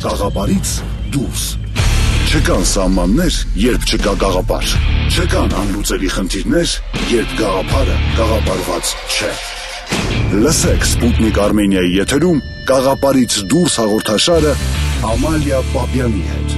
Գաղափարից դուրս։ Չկան սահմաններ, երբ չկա գաղափար։ Չկան անլուծելի խնդիրներ, երբ գաղափարը գաղափարված չէ։ Լսեք Սպուտնիկ Արմենիայի եթերում Գաղափարից դուրս հաղորդաշարը Ամալիա Պապյանի հետ։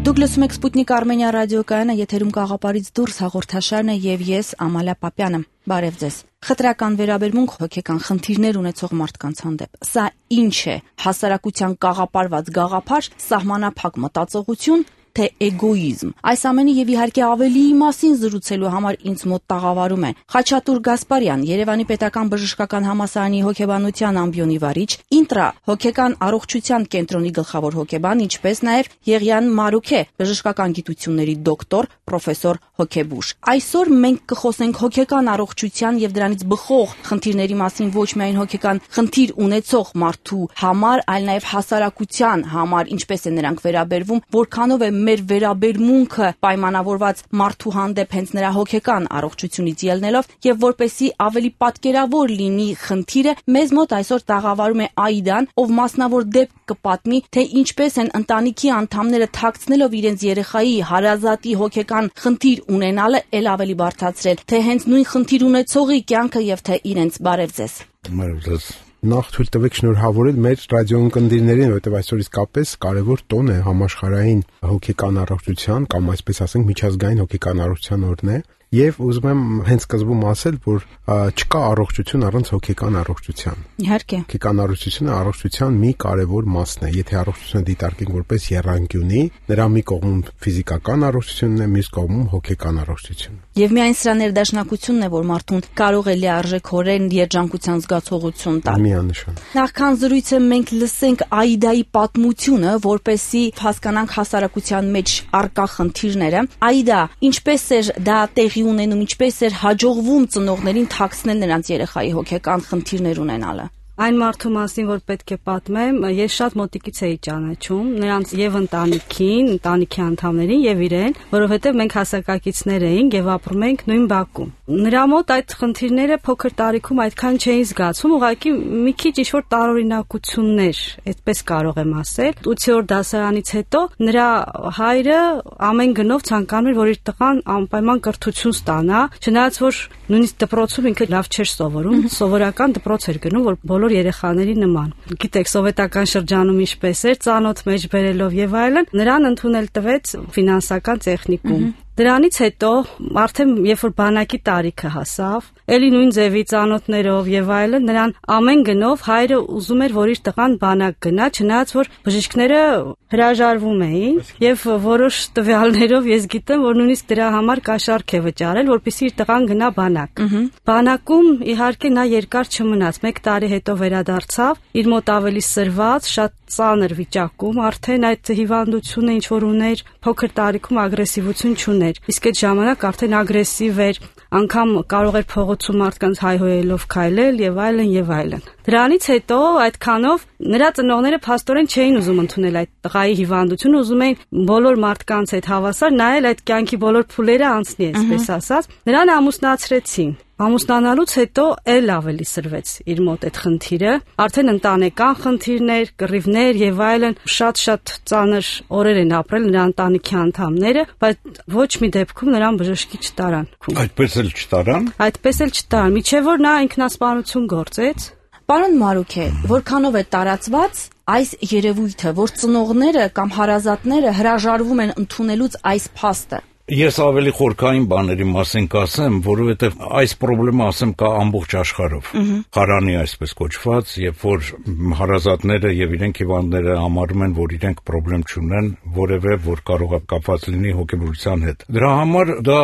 Դուք լսում եք Սպուտնիկ Արմենիա ռադիոկայանը, եթերում Գաղափարից դուրս հաղորդաշարն է եւ ես Ամալիա Պապյանը։ Բարև ձեզ։ Խտրական վերաբերմունք հոգեկան խնդիրներ ունեցող մարդկանց հանդեպ։ Սա ինչ է, հասարակության կաղապարված գաղափար, սահմանափակ մտածողություն, թե էգոիզմ։ Այս ամենի եւ իհարկե ավելիի մասին զրուցելու համար ինձ մոտ տաղավարում է Խաչատուր Գասպարյան, Երևանի Պետական Բժշկական Համալսարանի հոգեբանության ամբիոնի վարիչ, Ինտրա հոգեկան առողջության կենտրոնի գլխավոր հոգեբան, ինչպես նաեւ Եղիան Մարուքե, բժշկական գիտությունների դոկտոր, պրոֆեսոր հոգեբույժ։ Այսօր մենք կխոսենք հոգեկան առողջության եւ դրանից բխող խնդիրների մասին ոչ միայն հոգեկան խնդիր ունեցող մարդու համար, այլ նաեւ հասարակության համար, ինչպես է նրանք վերաբերվում, որքանով է մեր վերաբերմունքը պայմանավորված մարդու հանդեպ հենց նրա հոգեկան առողջությունից ելնելով եւ որպեսի ավելի պատկերավոր լինի խնդիրը, մեզ մոտ այսօր տաղավարում է Աիդան, ով մասնավոր դեպք կպատմի, թե ինչպես են ընտանիքի անդամները թաքցնելով իրենց երեխայի հարազատի հոգեկան խնդիր ունենալը ել ավելի բարդացրել, թե հենց նույն խնդիր ունեցողի կյանքը եւ թե իրենց բարև ձեզ։ Բարև ձեզ։ Նախ թույլ տվեք շնորհավորել մեր ռադիոընկերներին, որովհետև այսօր իսկապես կարևոր տոն է համաշխարհային հոգեկան առողջության կամ այսպես ասենք միջազգային հոգեկան առողջության օրն է, եւ ուզում եմ հենց սկզբում ասել, որ չկա առողջություն առանց հոգեկան առողջության։ Իհարկե։ Հոգեկան առողջությունը առողջության մի կարևոր մասն է։ Եթե առողջությունը դիտարկենք որպես եռանկյունի, նրա մի կողմում ֆիզիկական առողջությունն է, մյուս կողմում հոգեկան առողջությունը։ Եվ միայն սրա ներդաշնակությունն է, որ մարդուն կարող է լիարժեքորեն երջանկության զգացողություն տալ։ Միանշան։ Նախքան զրույցը մենք լսենք Աիդայի պատմությունը, որպեսզի հասկանանք հասարակության մեջ առկա խնդիրները։ Աիդա, ինչպես էր դա տեղի ունենում, ինչպես էր հաջողվում ծնողներին թաքցնել նրանց երեխայի հոգեկան խնդիրներ ունենալը։ Այն մարդու մասին, որ պետք է պատմեմ, ես շատ մոտիկից էի ճանաչում նրանց եւ ընտանիքին, ընտանիքի անդամներին եւ իրեն, որովհետեւ մենք հասակակիցներ էինք եւ ապրում էինք նույն բակում։ Նրա մոտ այդ խնդիրները փոքր տարիքում այդքան չէին զգացում, ուղղակի մի քիչ ինչ-որ տարօրինակություններ, այդպես կարող եմ ասել։ 8-րդ դասարանից հետո նրա հայրը ամեն գնով ցանկանում էր, որ իր տղան անպայման կրթություն ստանա, չնայած որ նույնիսկ դպրոցում ինքը լավ չէր սովորում, սովորական դպրոց էր գնում, որ բոլոր երեխաների նման։ Գիտեք, սովետական շրջանում ինչպես էր, ծանոթ մեջ բերելով եւ այլն, նրան ընդունել տվեց ֆինանսական տեխնիկում։ Դրանից հետո արդեն երբ որ բանակի տարիքը հասավ, ելի նույն ձևի ծանոթներով եւ այլն, նրան ամեն գնով հայրը ուզում էր, որ իր տղան բանակ գնա, չնայած որ բժիշկները հրաժարվում էին եւ որոշ տվյալներով ես գիտեմ, որ նույնիսկ դրա համար կաշառք է վճարել, որպեսզի իր տղան գնա բանակ։ Բանակում իհարկե նա երկար չմնաց, 1 տարի հետո վերադարձավ, իր մոտ ավելի սրված, շատ ծանր վիճակում, արդեն այդ հիվանդությունը ինչ որ ուներ, փոքր տարիքում ագրեսիվություն չուներ։ Իսկ այդ ժամանակ արդեն ագրեսիվ էր, անգամ կարող էր փողոցում մարդկանց հայհոյելով քայլել եւ այլն եւ այլն։ Դրանից հետո այդքանով նրա ծնողները փաստորեն չէին ուզում ընդունել այդ տղայի հիվանդությունը, ուզում էին բոլոր մարդկանց հետ հավասար նայել այդ կյանքի բոլոր փուլերը անցնի, այսպես ասած։ Նրան ամուսնացրեցին։ Ամուսնանալուց հետո ել ավելի սրվեց իր մոտ այդ խնդիրը, արդեն ընտանեկան խնդիրներ, կռիվներ եւ այլն, շատ ծանր օրեր են ապրել նրա ընտանիքի անդամները, բայց ոչ մի դեպքում նրան բժշկի չտարան։ Այդպես էլ չտարան։ Այդպես էլ չտարան, միջև որ նա ինքնասպանություն գործեց։ Պարոն Մարուքե, որքանով է տարածված այս երևույթը, որ ծնողները կամ հարազատները հրաժարվում են ընդունելուց այս փաստը։ Ես ավելի խորքային բաների մասին կասեմ, որովհետև այս խնդրումը ասեմ կա ամբողջ աշխարհով։ Խարանի այսպես կոչված, երբ որ հարազատները եւ իրենք հիվանդները համարում են, որ իրենք խնդրեմ չունեն, որևէ որ կարող է կապված լինի հոգեբուժության հետ։ Դրա համար դա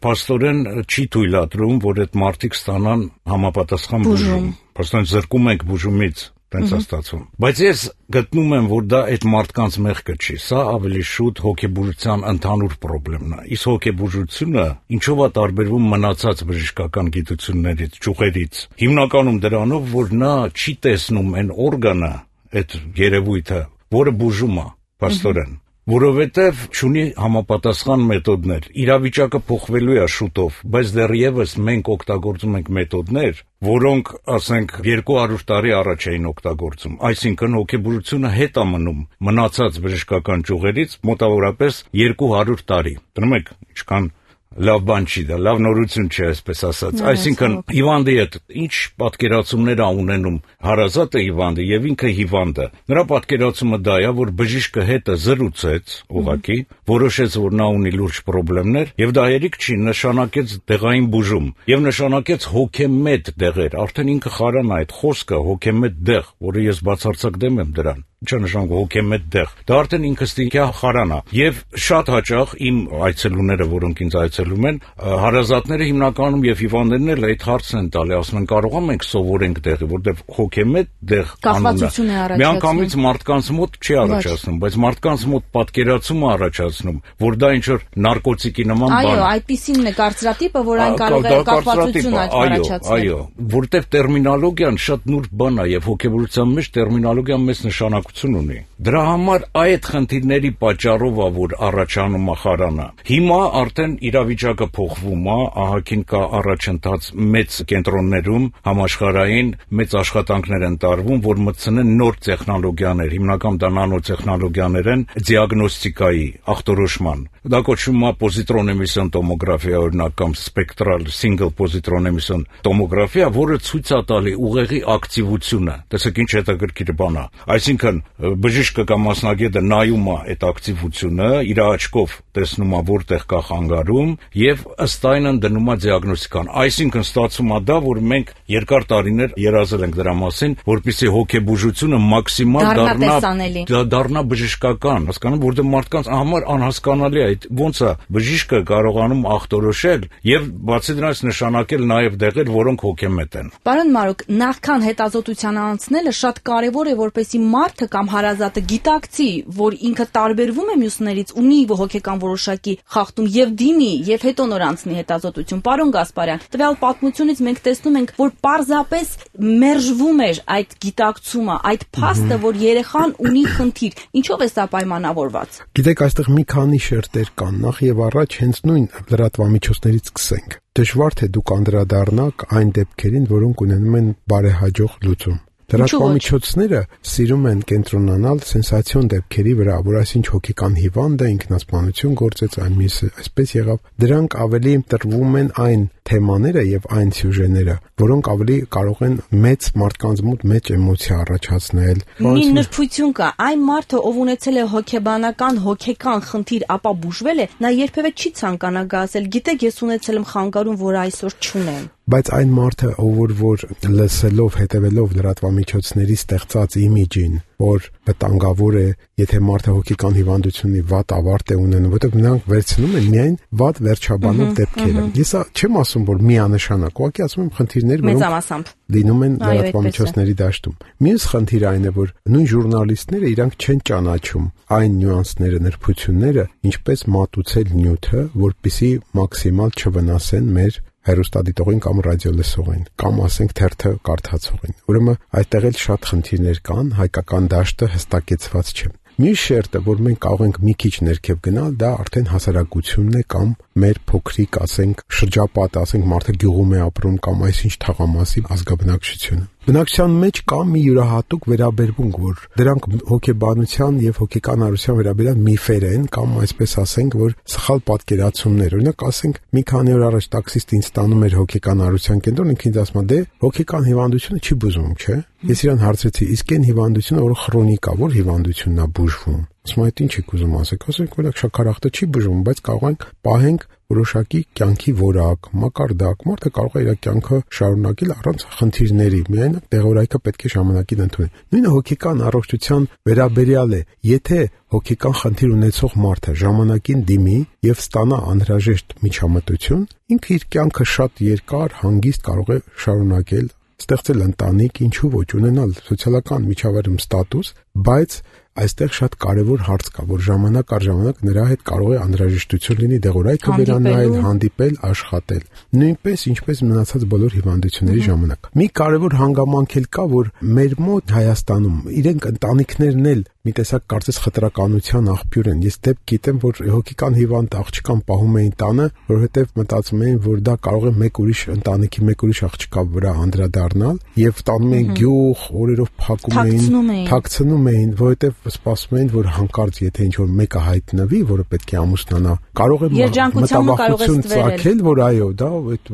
փաստորեն չի թույլատրում, որ այդ մարդիկ ստանան համապատասխան բուժում։ Փաստորեն զրկում ենք բուժումից։ Տենց ստացվում։ Բայց ես գտնում եմ, որ դա այդ մարդկանց մեղքը չի, սա ավելի շուտ հոգեբուժության ընդհանուր խնդիրն է։ Իսկ հոգեբուժությունը ինչով է տարբերվում մնացած բժշկական գիտություններից, ճյուղերից։ Հիմնականում դրանով, որ նա չի տեսնում այն օրգանը, այդ երևույթը, որը բուժում է, փաստորեն, որովհետև չունի համապատասխան մեթոդներ։ Իրավիճակը փոխվելու է շուտով, բայց դեռևս մենք օգտագործում ենք մեթոդներ, որոնք, ասենք, 200 տարի առաջ էին օգտագործում։ Այսինքն հոգեբուժությունը հետ է մնում մնացած բժշկական ճյուղերից մոտավորապես 200 տարի։ Դնում եք, ինչքան լավ բան չի դա, լավ նորություն չի, այսպես ասած։ Այսինքն հիվանդի հետ ինչ պատկերացումներ ունենում հարազատը հիվանդը եւ ինքը հիվանդը։ Նրա պատկերացումը դա է, որ բժիշկը հետը զրուցեց, ուղղակի, որոշեց, որ նա ունի լուրջ խնդիրներ եւ դա երիկ չի, նշանակեց դեղային բուժում եւ նշանակեց հոգեմետ դեղեր։ Արդեն ինքը խարան է այդ խոսքը հոգեմետ դեղ, որը ես բացարձակ դեմ եմ դրան։ Ինչ նշանակում հոգեմետ դեղ։ Դա արդեն ինքստինքյա խարան է։ Եվ շատ հաճախ իմ այցելուները, որոնք ինձ այցելում են, հարազատները հիմնականում եւ հիվանդներն էլ այդ հարցն են տալի, ասում են կարող ենք սովորենք դեղի, որտեղ հոգեմետ դեղ կախվածություն է առաջացնում։ Միանգամից մարդկանց մոտ չի առաջացնում, բայց մարդկանց մոտ պատկերացումը առաջացնում, որ դա ինչ որ նարկոտիկի նման բան է։ Այո, այդպիսին է կարծրատիպը, որ այն կարող է կախվածություն առաջացնել։ Այո, որտեղ տերմինոլոգիան շատ նուրբ բան է եւ հոգեբուժության մեջ տերմինոլոգիան մեծ նշանակություն ունի։ Դրա համար այդ խնդիրների պատճառով է, որ առաջանում է խարանը։ Հիմա արդեն իրավիճակը փոխվում է, ահագին կա առաջընթաց մեծ կենտրոններում, համաշխարհային մեծ աշխատանքներ են տարվում, որ մտցնեն նոր տեխնոլոգիաներ, հիմնական դա նանոտեխնոլոգիաներ են դիագնոստիկայի, ախտորոշման։ Դա կոչվում է պոզիտրոն էմիսիոն տոմոգրաֆիա, օրինակ, կամ սպեկտրալ single պոզիտրոն էմիսիոն տոմոգրաֆիա, որը ցույց է տալի ուղեղի ակտիվությունը։ Տեսեք ինչ հետաքրքիր բան է։ Այսինքն բժիշկը կամ մասնագետը նայում է այդ ակտիվությունը, իր աչքով տեսնում է որտեղ կա խանգարում եւ ըստ այնն դնում է դիագնոստիկան։ Այսինքն ստացվում է դա, որ մենք երկար տարիներ երազել ենք դրա մասին, որպեսզի հոգեբուժությունը մաքսիմալ դառնա բժշկական, հասկանում, որտեղ մարդկանց համար անհասկանալի է այդ ոնց է բժիշկը կարողանում ախտորոշել եւ բացի դրանից նշանակել նաեւ դեղեր, որոնք հոգեմետ են։ Պարոն Մարուկ, նախքան հետազոտության անցնելը շատ կարեւոր է, որպեսզի մարդը կամ հարազատը գիտակցի, որ ինքը տարբերվում է մյուսներից, ունի հոգեկան որոշակի խախտում եւ դիմի եւ հետո նոր անցնի հետազոտություն։ Պարոն Գասպարյան, տվյալ պատմությունից մենք տեսնում ենք, որ պարզապես մերժվում էր այդ գիտակցումը, այդ փաստը, որ երեխան ունի խնդիր։ Ինչով է սա պայմանավորված։ Գիտեք, այստեղ մի քանի շերտեր կան։ Նախ եւ առաջ հենց նույն լրատվամիջոցներից սկսենք։ Դժվար թե դուք անդրադառնաք այն դեպքերին, որոնք ունենում են բարեհաջող լուծում։ Լրատվամիջոցները սիրում են կենտրոնանալ սենսացիոն դեպքերի վրա, որ այսինչ հոգեկան հիվանդը ինքնասպանություն գործեց, այսպես եղավ։ Դրանք ավելի տրվում են այն թեմաները եւ այն սյուժեները, որոնք ավելի կարող են մեծ մարդկանց մոտ մեծ էմոցիա առաջացնել։ Մի նրբություն կա, այն մարդը, ով ունեցել է հոգեկան խնդիր, ապա բուժվել է, նա երբևէ չի ցանկանա գասել։ Գիտեք, ես ունեցել եմ խանգարում, որ այսօր չունեմ։ Բայց այն մարդը, որ լսելով, հետևելով լրատվամիջոցների ստեղծած իմիջին, որ վտանգավոր է, եթե մարդը հոգեկան հիվանդություն ունի, վատ ավարտ է ունենում, որտեղ նրանք վերցնում են միայն վատ վերջաբանող դեպքերը։ Ես չեմ ասում, որ միանշանակ, ուղղակի ասում եմ խնդիրներ, որոնք լինում են լրատվամիջոցների դաշտում։ Մյուս խնդիրը այն է, որ նույն ժուրնալիստները իրանք չեն ճանաչում այն նյուանսները, նրբությունները, ինչպես մատուցել նյութը, որպեսզի մաքսիմալ չվնասեն մեր հեռուստադիտողին կամ ռադիոլսողին կամ ասենք թերթը կարդացողին։ Ուրեմն այդտեղ էլ շատ խնդիրներ կան, հայկական դաշտը հստակեցված չէ։ Մյուս շերտը, որ մենք կարող ենք մի քիչ ներքև գնալ, դա արդեն հասարակությունն է կամ մեր փոքրիկ, ասենք, շրջապատը, ասենք մարդը գյուղում է ապրում կամ այսինչ թաղամասի ազգաբնակչությունը։ Բնակչության մեջ կա մի յուրահատուկ վերաբերմունք, որ դրանք հոգեբանության եւ հոգեկան հարության վերաբերյալ միֆեր են կամ այսպես ասենք, որ սխալ պատկերացումներ։ Օրինակ, ասենք, մի քանի օր առաջ տաքսիստ ինձ տանում էր հոգեկան հարության կենտրոն, ինքն ինձ ասում է, դե հոգեկան հիվանդությունը չի բուժվում, չէ՞։ Ես իրան հարցրեցի, իսկ այն հիվանդությունը, որը քրոնիկ է, որ հիվանդությունն է բուժվում։ Ասում այդ ինչ եք ուզում ասեք, ասենք որ շաքարախտը չի բուժվում, բայց կարող ենք պահենք որոշակի կյանքի որակ, մակարդակ, մարդը կարող է իր կյանքը շարունակել առանց խնդիրների, միայն դեղորայքը պետք է ժամանակին ընդունի։ Նույնը հոգեկան առողջության վերաբերյալ է, եթե հոգեկան խնդիր ունեցող մարդը ժամանակին դիմի եւ ստանա անհրաժեշտ միջամտություն, ինքը իր կյանքը շատ երկար, հանգիստ կարող է շարունակել, ստեղծել ընտանիք, ինչու ոչ, ունենալ սոցիալական միջավայրում ստատուս, բայց այստեղ շատ կարևոր հարց կա, որ ժամանակ առ ժամանակ նրա հետ կարող է անհրաժեշտություն լինի դեղորայքը վերանայել, հանդիպել, աշխատել։ Նույնպես ինչպես մնացած բոլոր հիվանդությունների ժամանակ։ Մի կարևոր հանգամանք էլ կա, որ մեր մոտ Հայաստանում իրենք ընտանիքներն էլ մի տեսակ կարծես խտրականության աղբյուր են։ Ես դեպք գիտեմ, որ հոգեկան հիվանդ աղջկան պահում էին տանը, որովհետև մտածում էին, որ դա կարող է մեկ ուրիշ ընտանիքի մեկ ուրիշ աղջկա վրա անդրադառնալ, եւ տանում էին գյուղ, օրերով փակում էին, թաքցնում էին, որովհետև սպասում էին, որ հանկարծ եթե ինչ-որ մեկը հայտնվի, որը պետք է ամուսնանա, կարող է մտավախություն ծագել, որ այո, դա այդ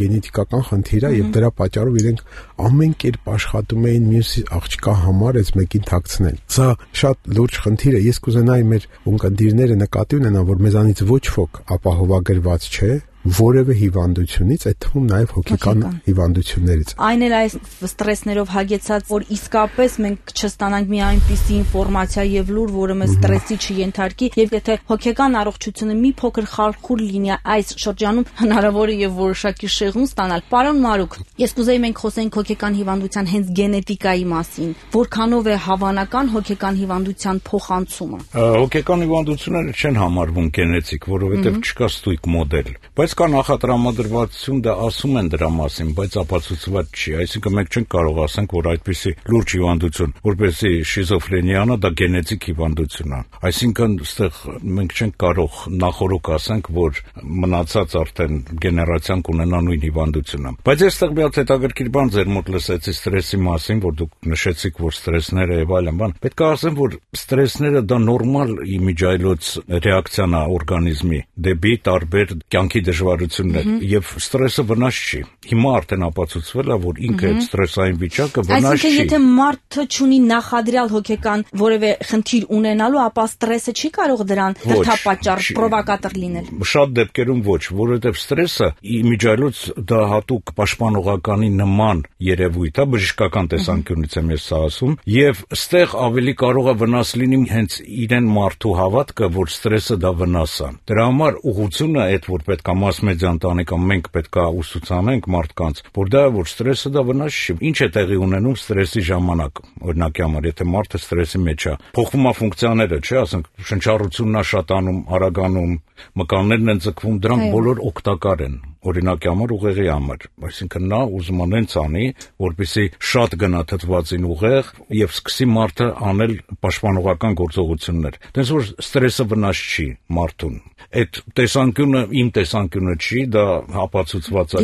գենետիկական խնդիր է եւ դրա պատճառով իրենք ամեն կերպ աշխատում էին մյուս աղջկա համար այս մեկին թաքցնել։ Սա շատ լուրջ խնդիր է։ Ես կուզենայի մեր ունկնդիրները նկատի ունենան, որ մեզանից ոչ ոք ապահովագրված չէ որևէ հիվանդությունից, այդ թվում նաև հոգեկան հիվանդություններից։ Այն էլ այս ստրեսներով հագեցած, որ իսկապես մենք չստանանք մի այնպիսի ինֆորմացիա եւ լուր, որը մեզ ստրեսի չենթարկի, եւ եթե հոգեկան առողջությունը մի փոքր խարխուլ լինի այս շրջանում, հնարավոր է եւ որոշակի շեղում ստանալ։ Պարոն Մարուկ, ես կուզեի մենք խոսենք հոգեկան հիվանդության հենց գենետիկայի մասին, որքանով է հավանական հոգեկան հիվանդության փոխանցումը։ Հոգեկան հիվանդությունները չեն համարվում գենետիկ, որովհետեւ չկա ստույգ մոդել, բայց կա նախատրամադրվածություն, դա ասում են դրա մասին, բայց ապացուցված չի։ Այսինքն մենք չենք կարող ասենք, որ այդպիսի լուրջ հիվանդություն, որպեսզի շիզոֆրենիան է, դա գենետիկ հիվանդություն է։ Այսինքն այստեղ մենք չենք կարող նախորոք ասենք, որ մնացած արդեն գեներացիան կունենա նույն հիվանդությունը։ Բայց այստեղ մի հատ հետաքրքիր բան ձեր մոտ լսեցի ստրեսի մասին, որ դուք նշեցիք, որ ստրեսները եւ այլն բան։ Պետք է ասեմ, որ ստրեսները դա նորմալ իմիջայլոց ռեակցիան է օրգանիզմի դեպի տարբեր կյանքի դժվարություններ եւ ստրեսը վնաս չի։ Հիմա արդեն ապացուցվել է, որ ինքը այդ ստրեսային վիճակը վնաս չի։ Այսինքն եթե մարդը ունի նախադրյալ հոգեկան որևէ խնդիր ունենալու, ապա ստրեսը չի կարող դրան դրդապատճառ պրովոկատոր լինել։ Շատ դեպքերում ոչ, որովհետեւ ստրեսը իմիջայլոց դա հատուկ պաշտպանողականի նման երևույթ է, բժշկական տեսանկյունից եմ ես սա ասում, եւ ստեղ ավելի կարող է վնաս լինի հենց իրեն մարդու հավատքը, որ ստրեսը դա վնաս է։ Դրա համար ուղղությունը այդ որ պետք է mass media ընտանեկան մենք պետք է ուսուցանենք մարդկանց, որ դա որ ստրեսը դա վնաս չի։ Ինչ է տեղի ունենում ստրեսի ժամանակ։ Օրինակի համար, եթե մարդը ստրեսի մեջ է, փոխվում է ֆունկցիաները, չէ՞, ասենք շնչառությունն է շատանում, արագանում, մկաններն են ձգվում, դրանք բոլոր օգտակար են։ Օրինակի համար ուղեղի համար, այսինքն նա ուզում է նենց անի, որպեսզի շատ գնա թթվածին ուղեղ եւ սկսի մարդը անել պաշտպանողական գործողություններ։ Դες որ ստրեսը վնաս չի մարդուն։ Այդ տեսանկյունը իմ տեսանկյունը չի, դա ապացուցված է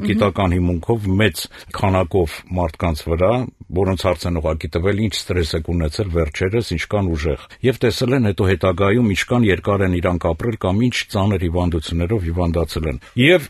գիտական հիմունքով մեծ քանակով մարդկանց վրա, որոնց հարց են ուղղակի տվել, ինչ ստրես եք ունեցել վերջերս, ինչքան ուժեղ, եւ տեսել են հետո հետագայում ինչքան երկար են իրանք ապրել կամ ինչ ծանր հիվանդություններով հիվանդացել են։ Եվ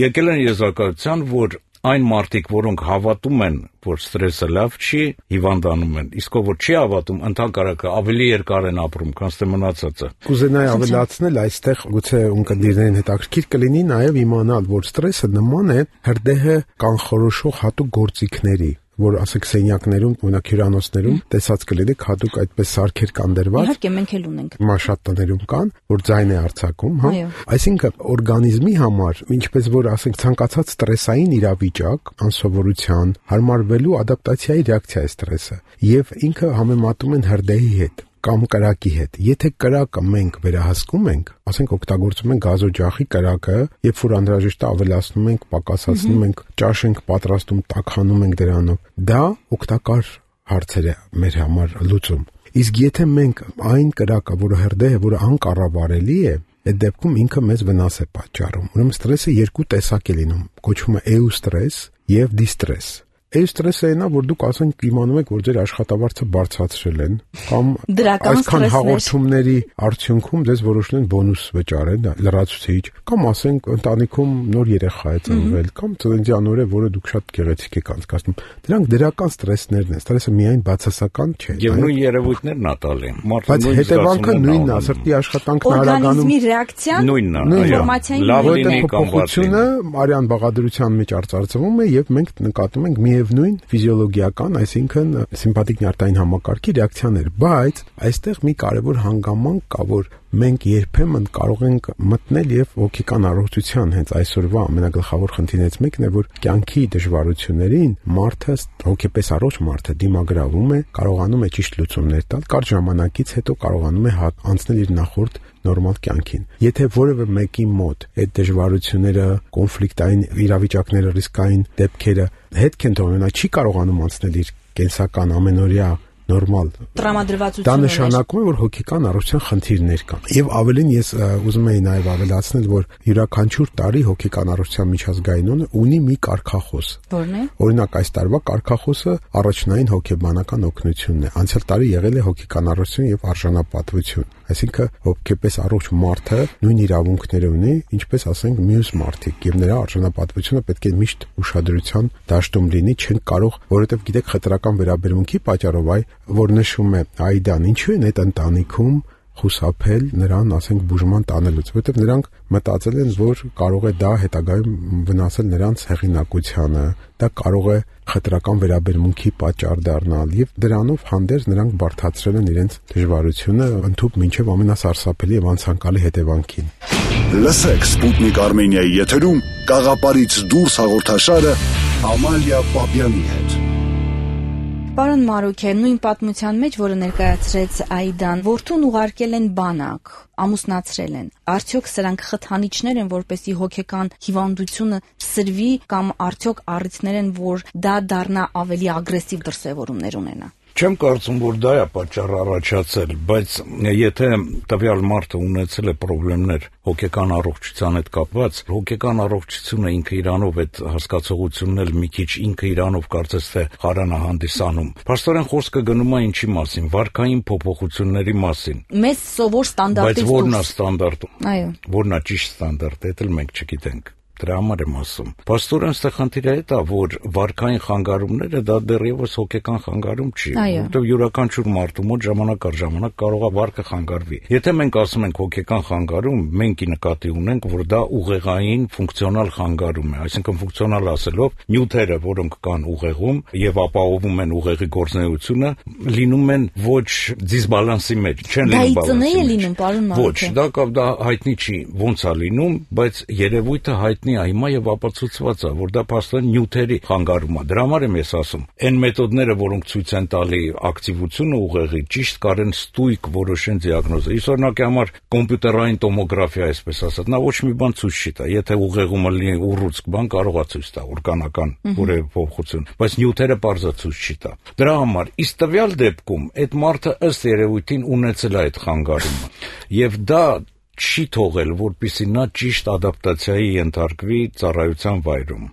եկել են եզրակացության, որ այն մարդիկ, որոնք հավատում են, որ ստրեսը լավ չի, հիվանդանում են, իսկ ով չի հավատում, ընդհանրապես ավելի երկար են ապրում, քան թե մնացածը։ Կուզենայի ավելացնել, այստեղ գուցե ունկնդիրներին հետաքրքիր կլինի նաև իմանալ, որ ստրեսը նման է հրդեհը կանխորոշող հատուկ գործիքների, որ ասեք սենյակներում, օրինակ հյուրանոցներում տեսած կլինեք հատուկ այդպես սարքեր կան դրված։ Իհարկե մենք էլ ունենք։ Շատ տներում կան, որ ձայն է արձակում, հա։ Այսինքն օրգանիզմի համար, ինչպես որ ասենք ցանկացած ստրեսային իրավիճակ, անսովորության, հարմարվելու ադապտացիայի ռեակցիա է ստրեսը, եւ ինքը համեմատում են հրդեհի հետ կամ կրակի հետ։ Եթե կրակը մենք վերահսկում ենք, ասենք օգտագործում ենք գազօջախի կրակը, երբ որ անհրաժեշտ է ավելացնում ենք, պակասացնում ենք, ճաշ ենք պատրաստում, տաքանում ենք դրանով, դա օգտակար հարցեր է մեր համար լուծում։ Իսկ եթե մենք այն կրակը, որը հրդեհ է, որը անկառավարելի է, այդ դեպքում ինքը մեզ վնաս է պատճառում։ Ուրեմն ստրեսը երկու տեսակ է լինում, կոչվում է էուստրես եւ դիստրես։ Ստրեսը այնա, որ դուք ասենք իմանում եք, որ ձեր աշխատավարձը բարձրացրել են, կամ այսքան հաղորդումների արդյունքում ձեզ որոշել են բոնուս վճարել, լրացուցիչ, կամ ասենք ընտանիքում նոր երեխա է ծնվել, կամ ծննդյան օրը, որը դուք շատ գեղեցիկ եք անցկացնում։ Դրանք դրական ստրեսներն են։ Ստրեսը միայն բացասական չէ։ Եվ նույն երևույթներն ա տալի։ Բայց հետևանքը նույնն է, սրտի աշխատանքն արագանում։ Օրգանիզմի ռեակցիան նույնն է, ինֆորմացիային փոփոխությունը արյան բաղադրության մեջ արծարծվում է, եւ մենք նկատում ենք միևնույն ֆիզիոլոգիական, այսինքն սիմպաթիկ նյարդային համակարգի ռեակցիաներ, բայց այստեղ մի կարևոր հանգամանք կա, որ մենք երբեմն կարող ենք մտնել եւ հոգեկան առողջության հենց այսօրվա ամենագլխավոր խնդիրներից մեկն է, որ կյանքի դժվարություններին մարդը, հոգեպես առողջ մարդը դիմագրավում է, կարողանում է ճիշտ լուծումներ տալ, կարճ ժամանակից հետո կարողանում է անցնել իր նախորդ նորմալ կյանքին։ Եթե որևէ մեկի մոտ այդ դժվարությունները, կոնֆլիկտային իրավիճակները, ռիսկային դեպքերը հետք են թողնում, նա չի կարողանում անցնել իր կենսական ամենօրյա նորմալ տրամադրվածությունը, դա նշանակում է, որ հոգեկան առողջության խնդիրներ կան։ Եվ ավելին ես ուզում եի նաև ավելացնել, որ յուրաքանչյուր տարի հոգեկան առողջության միջազգային օրը ունի մի կարգախոս։ Որն է։ Օրինակ այս տարվա կարգախոսը առաջնային հոգեբանական օգնությունն է։ Անցյալ տարի եղել է հոգեկան առողջություն եւ արժանապատվություն։ Այսինքն հոգեպես առողջ մարդը նույն իրավունքները ունի, ինչպես ասենք մյուս մարդիկ, եւ նրա արժանապատվությունը պետք է միշտ ուշադրության դաշտում լինի, չեն կարող, որովհետեւ գիտեք խտրական վերաբերմունքի պատճառով որ նշում է Այդան, ինչու են այդ ընտանիքում խուսափել նրան, ասենք, բուժման տանելուց, որովհետև նրանք մտածել են, որ կարող է դա հետագայում վնասել նրանց հեղինակությանը, դա կարող է խտրական վերաբերմունքի պատճառ դառնալ եւ դրանով հանդերձ նրանք բարդացրել են իրենց դժվարությունը ընդհուպ մինչեւ ամենասարսափելի եւ անցանկալի հետևանքին։ Լսեք Սպուտնիկ Արմենիայի եթերում Գաղափարից դուրս հաղորդաշարը Ամալիա Պապյանի հետ։ Պարոն Մարուքյան, նույն պատմության մեջ, որը ներկայացրեց Այդան, որդուն ուղարկել են բանակ, ամուսնացրել են։ Արդյոք սրանք խթանիչներ են, որպեսզի հոգեկան հիվանդությունը սրվի, կամ արդյոք առիթներ են, որ դա դառնա ավելի ագրեսիվ դրսևորումներ ունենա։ Չեմ կարծում, որ դա է պատճառը առաջացել, բայց եթե տվյալ մարդը ունեցել է խնդիրներ հոգեկան առողջության հետ կապված, հոգեկան առողջությունը ինքը իրանով այդ հասկացողությունն էլ մի քիչ ինքը իրանով կարծես թե խարան է հանդիսանում։ Փաստորեն խոսքը գնում է ինչի մասին, վարքային փոփոխությունների մասին։ Մեզ սովոր ստանդարտից դուրս։ Բայց որն է ստանդարտը։ Այո։ Որն է ճիշտ ստանդարտը, դա էլ մենք չգիտենք։ Դրա համար եմ ասում։ Փաստորեն այստեղ խնդիրը դա, որ վարքային խանգարումները դա դեռևս հոգեկան խանգարում չի, որովհետև յուրաքանչյուր մարդու մոտ ժամանակ առ ժամանակ կարող է վարքը խանգարվի։ Եթե մենք ասում ենք հոգեկան խանգարում, մենք նկատի ունենք, որ դա ուղեղային ֆունկցիոնալ խանգարում է, այսինքն ֆունկցիոնալ ասելով, նյութերը, որոնք կան ուղեղում եւ ապահովում են ուղեղի գործունեությունը, լինում են ոչ դիսբալանսի մեջ, չեն լինում բալանսի մեջ։ Ոչ, դա հայտնի չի, ոնց է լինում, բայց երևույթը հայտնի հիմա եւ ապացուցված է, որ դա փաստորեն նյութերի խանգարում է։ Դրա համար եմ ես ասում, այն մեթոդները, որոնք ցույց են տալի ակտիվությունը ուղեղի, ճիշտ կարեն ստույգ որոշեն դիագնոզը։ Իսօրինակի համար կոմպյուտերային տոմոգրաֆիա, այսպես ասած, նա ոչ մի բան ցույց չի տա։ Եթե ուղեղում լինի ուռուցք բան, կարող է ցույց տա օրգանական որևէ փոփոխություն, բայց նյութերը պարզա ցույց չի տա։ Դրա համար իսկ տվյալ դեպքում այդ մարդը ըստ երևույթին ունեցել է այդ խանգարումը, եւ դա չի թողել, որպեսզի նա ճիշտ ադապտացիայի ենթարկվի ծառայության վայրում։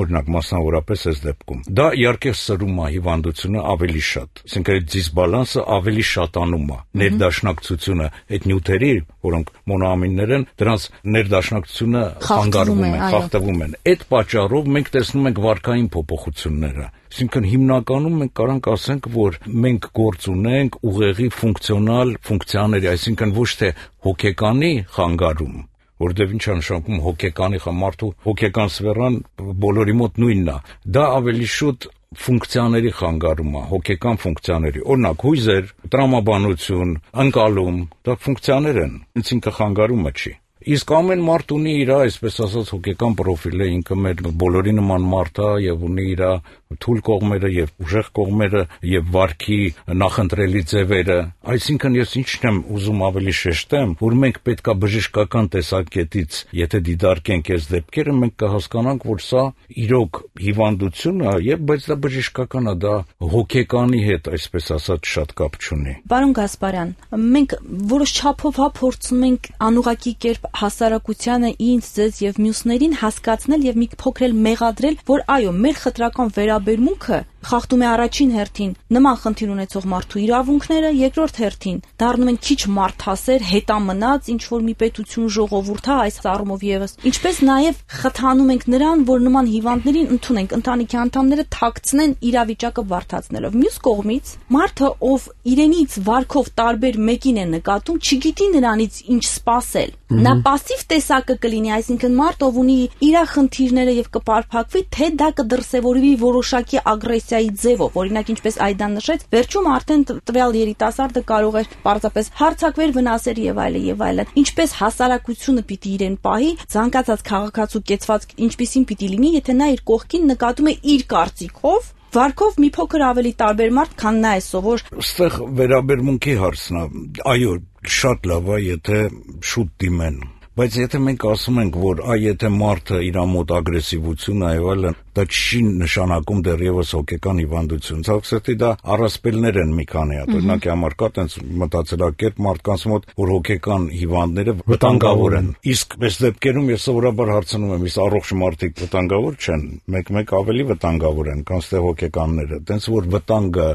Օրինակ, մասնավորապես այս դեպքում։ Դա իհարկե սրում է հիվանդությունը ավելի շատ, այսինքն այդ դիսբալանսը ավելի շատանում է։ Ներդաշնակցությունը այդ նյութերի, որոնք մոնոամիններ են, դրանց ներդաշնակցությունը խանգարվում է, խախտվում են։ Այդ պատճառով մենք տեսնում ենք վարքային փոփոխությունները։ Այսինքն հիմնականում մենք կարանք ասենք, որ մենք գործ ունենք ուղեղի ֆունկցիոնալ ֆունկցիաների, այսինքն ոչ թե հոգեկանի խանգարում, որտեղ ինչ է նշանակում հոգեկանի մարդու հոգեկան սֆերան բոլորի մոտ նույնն է, դա ավելի շուտ ֆունկցիաների խանգարում է, հոգեկան ֆունկցիաների, օրինակ հույզեր, տրամաբանություն, ընկալում, դա ֆունկցիաներ են, ինքը խանգարումը չի։ Իսկ ամեն մարդ ունի իր, այսպես ասած, հոգեկան պրոֆիլը, ինքը մեր բոլորի նման մարդ է եւ ունի իր թույլ կողմերը եւ ուժեղ կողմերը եւ վարքի նախընտրելի ձևերը։ Այսինքն ես ինչն եմ ուզում ավելի շեշտեմ, որ մենք պետքա բժշկական տեսակետից, եթե դիտարկենք այս դեպքերը, մենք կհասկանանք, որ սա իրոք հիվանդություն է, եւ բայց դա բժշկական է, դա հոգեկանի հետ, այսպես ասած, շատ կապ չունի։ Պարոն Գասպարյան, մենք որոշ չափով փորձում ենք անուղղակի կերպ հասարակությանը, ինձ, ձեզ եւ մյուսներին հասկացնել եւ մի փոքր մեղադրել, որ այո, մեր խտրական վերաբերմունքը խախտում է առաջին հերթին նման խնդիր ունեցող մարդու իրավունքները, երկրորդ հերթին դառնում են քիչ մարդասեր, հետամնաց ինչ որ մի պետություն ժողովուրդ, այս առումով եւս։ Ինչպես նաեւ խթանում ենք նրան, որ նման հիվանդներին ընդունենք, ընտանիքի անդամները թաքցնեն իրավիճակը բարդացնելով։ Մյուս կողմից մարդը, ով իրենից վարքով տարբեր մեկին է նկատում, չգիտի նրանից ինչ սպասել։ Նա пассив տեսակը կլինի, այսինքն մարդ, ով ունի իր խնդիրները եւ կպարփակվի, թե դա կդրսեւորվի որոշակի ագրեսիայի ձևով, օրինակ ինչպես Այդան նշեց, վերջում արդեն տվյալ երիտասարդը կարող էր պարզապես հարձակվեր, վնասեր եւ այլն։ Ինչպես հասարակությունը պիտի իրեն պահի, ցանկացած քաղաքացու կեցվածք ինչպիսին պիտի լինի, եթե նա իր կողքին նկատում է իր կարծիքով վարքով մի փոքր ավելի տարբեր մարդ, քան նա է սովոր։ Այստեղ վերաբերմունքի հարցն է։ Այո, շատ լավ է, եթե շուտ դիմեն։ Բայց եթե մենք ասում ենք, որ եթե մարդը իր մոտ ագրեսիվություն է եւ այլն, դա չի նշանակում դեռևս հոգեկան հիվանդություն։ Ցավոք դա առասպելներ են մի քանի հատ։ Օրինակի համար կա տենց մտածելակերպ մարդկանց մոտ, որ հոգեկան հիվանդները վտանգավոր են։ Իսկ այս դեպքերում ես սովորաբար հարցնում եմ, իսկ առողջ մարդիկ վտանգավոր չեն, մեկ ավելի վտանգավոր են, քան ստե հոգեկանները։ Տենց որ վտանգը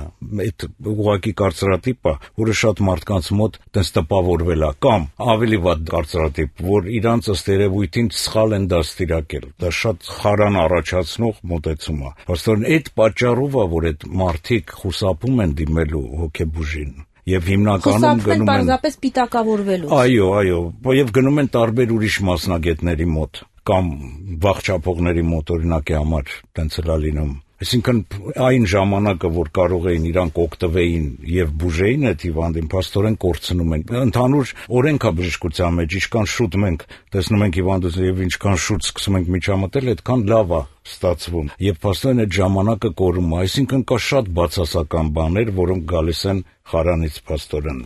այդ ուղղակի կարծրատիպ է, որը շատ մարդկանց մոտ տենց տպավորվել է, կամ ավելի վատ կարծրատիպ, որ իրանց ըստ երևույթին սխալ են դաստիարակել։ Դա շատ խարան առաջացնող մոտեցում է։ Պաստորեն այդ պատճառով է, որ այդ մարդիկ խուսափում են դիմելու հոգեբուժին եւ հիմնականում գնում են պարզապես պիտակավորվելու։ Այո, եւ գնում են տարբեր ուրիշ մասնագետների մոտ կամ վախճապողների մոտ, օրինակի համար տենց է լինում։ Այսինքն այն ժամանակը, որ կարող էին իրանք օգտվեին եւ բուժեին այդ հիվանդին, փաստորեն կորցնում են։ Ընդհանուր օրենքա բժշկության մեջ ինչքան շուտ մենք տեսնում ենք հիվանդությունը եւ ինչքան շուտ սկսում ենք միջամտել, այդքան լավ է ստացվում։ Եվ փաստորեն այդ ժամանակը կորում է, այսինքն կա շատ բացասական բաներ, որոնք գալիս են խարանից փաստորեն։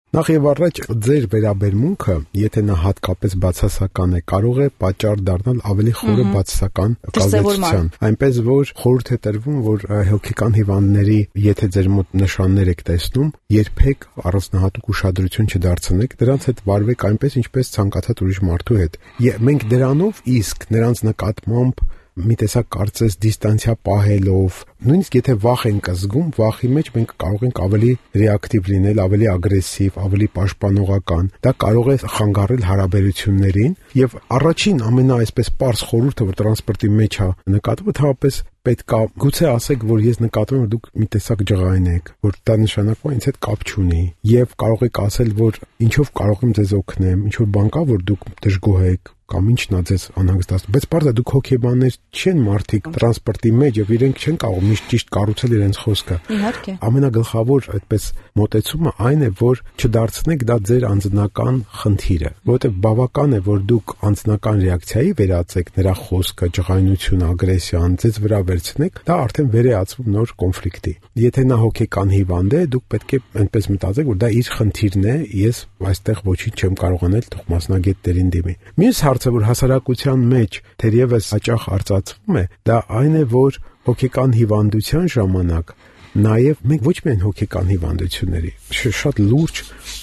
Նախ եւ առաջ ձեր վերաբերմունքը, եթե նա հատկապես բացասական է, կարող է պատճառ դառնալ ավելի խորը բացասական կազմակերպության։ Այնպես որ խորհուրդ է տրվում, որ հոգեկան հիվանդների, եթե ձեր մոտ նշաններ եք տեսնում, երբեք առանձնահատուկ ուշադրություն չդարձնեք, դրանց հետ վարվեք այնպես, ինչպես ցանկացած ուրիշ մարդու հետ։ Մենք դրանով իսկ նրանց նկատմամբ մի տեսակ կարծես դիստանցիա պահելով, նույնիսկ եթե վախ ենք զգում, վախի մեջ մենք կարող ենք ավելի ռեակտիվ լինել, ավելի ագրեսիվ, ավելի պաշտպանողական։ Դա կարող է խանգարել հարաբերություններին եւ առաջին ամենաայսպես պարզ խորհուրդը, որ տրանսպորտի մեջ է նկատվում, թվապես պետք է գուցե ասեք, որ ես նկատում եմ, որ դուք մի տեսակ ջղային եք, որ դա նշանակում է ինձ հետ կապ չունի, եւ կարող եք ասել, որ ինչով կարող եմ ձեզ օգնեմ, ինչ որ բան կա, որ դուք դժգոհ եք, կամ ինչն է ձեզ անհանգստացնում, բայց բարձր դուք հոգեբաններ չեն մարդիկ տրանսպորտի մեջ եւ իրենք չեն կարող միշտ ճիշտ կառուցել իրենց խոսքը։ Իհարկե։ Ամենագլխավոր այդպես մոտեցումը այն է, որ չդարձնեք դա ձեր անձնական խնդիրը, որովհետեւ բավական է, որ դուք անձնական ռեակցիայի վերածեք նրա խոսքը, ջղայնությունը, ագրեսիան, ձեզ վրա վերցնեք, դա արդեն վերածվում նոր կոնֆլիկտի։ Եթե նա հոգեկան հիվանդ է, դուք պետք է այնպես մտածեք, որ դա իր խնդիրն է, ես այստեղ ոչինչ չեմ կարող անել, թող մասնագետներին դիմի։ Մյուս հարցը, որ հասարակության մեջ թերևս հաճախ արծացվում է, դա այն է, որ հոգեկան հիվանդության ժամանակ նաև մենք ոչ միայն հոգեկան հիվանդությունների, շատ լուրջ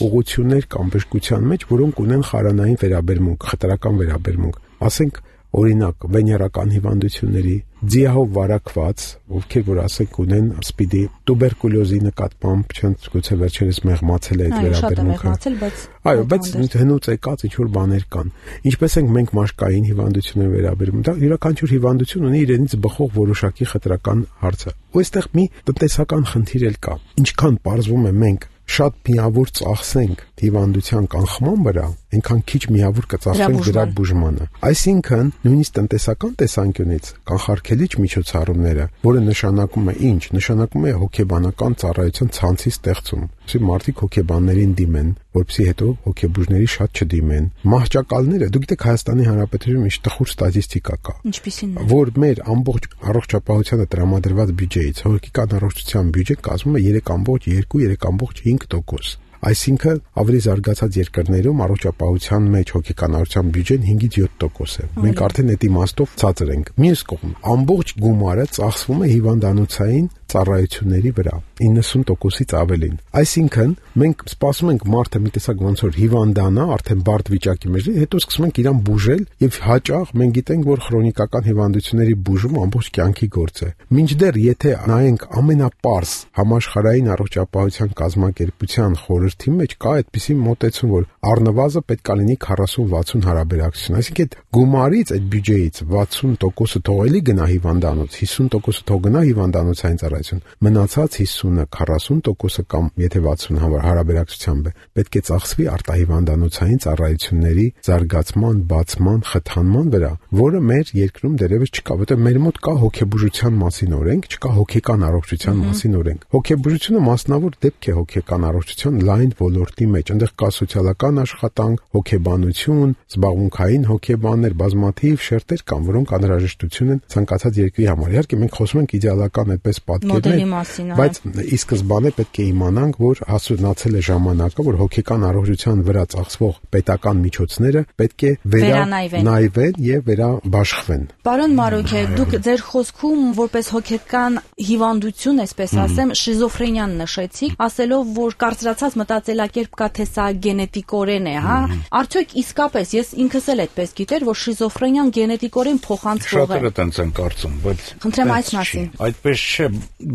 ուղղություններ կան բժշկության մեջ, որոնք ունեն խարանային վերաբերմունք, խտրական վերաբերմունք, ասենք օրինակ վեներական հիվանդությունների, ձիահով վարակված, ովքեր որ ասենք ունեն սպիդի, տուբերկուլոզի նկատմամբ, չեն գուցե վերջերս մեղմացել է այդ վերաբերմունքը։ Այո, բայց հնուց եկած ինչ որ բաներ կան։ Ինչպես ենք մենք մաշկային հիվանդությունների վերաբերում, դա յուրաքանչյուր հիվանդություն ունի իրենից բխող որոշակի խտրական հարցը։ Ու այստեղ մի տնտեսական խնդիր էլ կա։ Ինչքան պարզվում է մենք շատ միավոր ծախսենք հիվանդության կանխման վրա, այնքան քիչ միավոր կծախսենք դրա բուժմանը։ Այսինքն, նույնիսկ տնտեսական տեսանկյունից կանխարգելիչ միջոցառումները, որը նշանակում է ինչ, նշանակում է հոգեբանական ծառայության ցանցի ստեղծում։ Այսինքն մարդիկ հոգեբաններին դիմեն, որպեսզի հետո հոգեբուժների շատ չդիմեն։ Մահճակալները, դուք գիտեք Հայաստանի Հանրապետությունում ինչ տխուր ստատիստիկա կա։ Ինչպիսին է։ Որ մեր ամբողջ առողջապահությանը տրամադրված բյուջեից հոգեկան առողջության բյուջեն կազմում է 3.2-3.5%։ Այսինքն ավելի զարգացած երկրներում առողջապահության մեջ հոգեկան առողջության բյուջեն 5-ից 7% է։ Մենք արդեն այդ իմաստով ցածր ենք։ Մյուս կողմ, ամբողջ գումարը ծախսվում է հիվանդանոցային ծառայությունների վրա, 90%-ից ավելին։ Այսինքն, մենք սպասում ենք մարդը մի տեսակ ոնց որ հիվանդանա, արդեն բարդ վիճակի մեջ, հետո սկսում ենք իրան բուժել եւ հաճախ մենք գիտենք, որ քրոնիկական հիվանդությունների բուժումը ամբողջ կյանքի գործ է։ Մինչդեռ եթե նայենք ամենապարզ համաշխարհային առողջապահության կազմակերպության խորհրդի մեջ կա այդպիսի մոտեցում, որ առնվազն պետք է լինի 40-60 հարաբերակցություն, այսինքն այդ գումարից, այդ բյուջեից 60%-ը թողելի գնա հիվանդանոց, 50%-ը թող գնա հիվանդանոցային ծառայություն, մնացած 50-ը 40%-ը կամ եթե 60 հարաբերակցությամբ է, պետք է ծախսվի արտահիվանդանոցային ծառայությունների զարգացման, բացման, խթանման վրա, որը մեր երկրում դեռևս չկա, որտեղ մեր մոտ կա հոգեբուժության մասին օրենք, չկա հոգեկան առողջության մասին օրենք։ Հոգեբուժությունը մասնավոր դեպք է հոգեկան առողջության լայն ոլորտի մեջ, այնտեղ կա սոցիալական աշխատանք, հոգեբանություն, զբաղմունքային հոգեբաններ, բազմաթիվ շերտեր կան, որոնք անհրաժեշտություն են ցանկացած երկրի համար։ Իհարկե մենք խոսում ենք իդեալական այդպես պատկերներ, բայց ի սկզբանե պետք է իմանանք, որ հասունացել է ժամանակը, որ հոգեկան առողջության վրա ծախսվող պետական միջոցները պետք է վերանայվեն եւ վերաբաշխվեն։ Պարոն Մարոկե, դուք ձեր խոսքում որպես հոգեկան հիվանդություն, այսպես ասեմ, շիզոֆրենիան նշեցիք, ասելով, որ կարծրացած մտածելակերպ կա, թե սա գենետիկորեն է, հա? Արդյոք իսկապես ես ինքս էլ այդպես գիտեր, որ շիզոֆրենիան գենետիկորեն փոխանցվող է։ Շատերը տենց են կարծում, բայց խնդրեմ այս մասին։ Այդպես չէ,